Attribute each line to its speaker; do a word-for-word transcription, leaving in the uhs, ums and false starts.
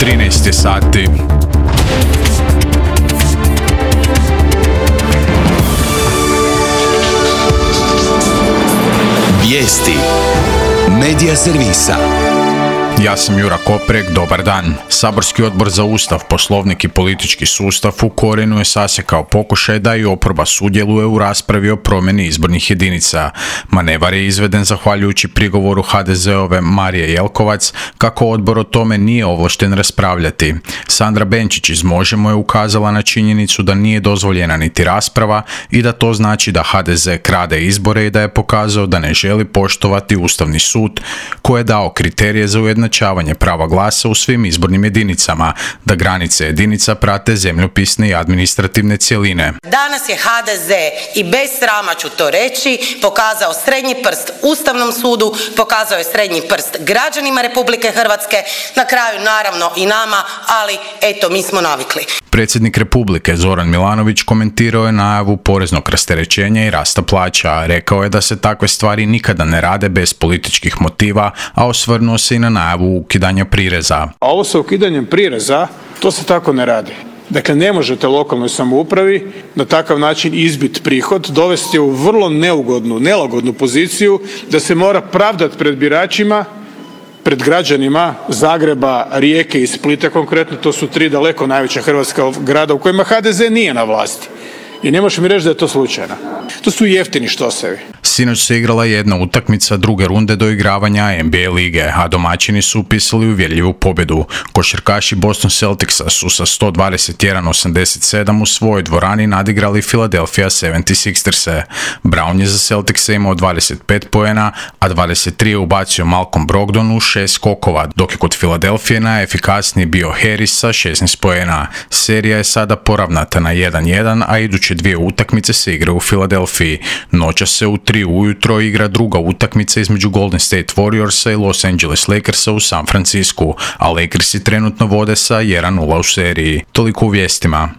Speaker 1: trinaest je sati.
Speaker 2: Vijesti Medija servisa.
Speaker 1: Ja sam Jura Koprek, dobar dan. Saborski odbor za Ustav, Poslovnik i politički sustav u korijenu je sasjekao pokušaj da i oporba sudjeluje u raspravi o promjeni izbornih jedinica. Manevar je izveden zahvaljujući prigovoru ha de zeove Marije Jelkovac kako odbor o tome nije ovlašten raspravljati. Sandra Benčić iz Možemo je ukazala na činjenicu da nije dozvoljena niti rasprava i da to znači da ha de ze krade izbore i da je pokazao da ne želi poštovati Ustavni sud koji je dao kriterije za ujednačavanje prava glasa u svim izbornim jedinicama, da granice jedinica prate zemljopisne i administrativne cjeline.
Speaker 3: Danas je ha de ze, i bez srama ću to reći, pokazao srednji prst Ustavnom sudu, pokazao je srednji prst građanima Republike Hrvatske, na kraju naravno i nama, ali eto, mi smo navikli.
Speaker 1: Predsjednik Republike Zoran Milanović komentirao je najavu poreznog rasterećenja i rasta plaća. Rekao je da se takve stvari nikada ne rade bez političkih motiva, a osvrnuo se i na najavu ukidanja prireza.
Speaker 4: A ovo sa ukidanjem prireza, to se tako ne radi. Dakle, ne možete lokalnoj samoupravi na takav način izbit prihod, dovesti je u vrlo neugodnu, nelagodnu poziciju da se mora pravdati pred biračima, pred građanima Zagreba, Rijeke i Splita konkretno. To su tri daleko najveća hrvatska grada u kojima ha de ze nije na vlasti. I ne možeš mi reći da je to slučajno. To su jeftini štosevi.
Speaker 1: Sinoć se igrala jedna utakmica druge runde doigravanja en be a lige, a domaćini su upisali uvjerljivu pobjedu. Košarkaši Boston Celticsa su sa sto dvadeset jedan osamdeset sedam u svojoj dvorani nadigrali Philadelphia sedamdeset šesters. Brown je za Celticsa imao dvadeset pet poena, a dvadeset tri je ubacio Malcolm Brogdon u šest skokova, dok je kod Philadelphije najefikasniji bio Harris sa šesnaest poena. Serija je sada poravnata na jedan jedan, a iduće dvije utakmice se igraju u Filadelfiji. Noćas se u tri ujutro igra druga utakmica između Golden State Warriorsa i Los Angeles Lakersa u San Francisku, a Lakersi trenutno vode sa jedan nula u seriji. Toliko u vijestima.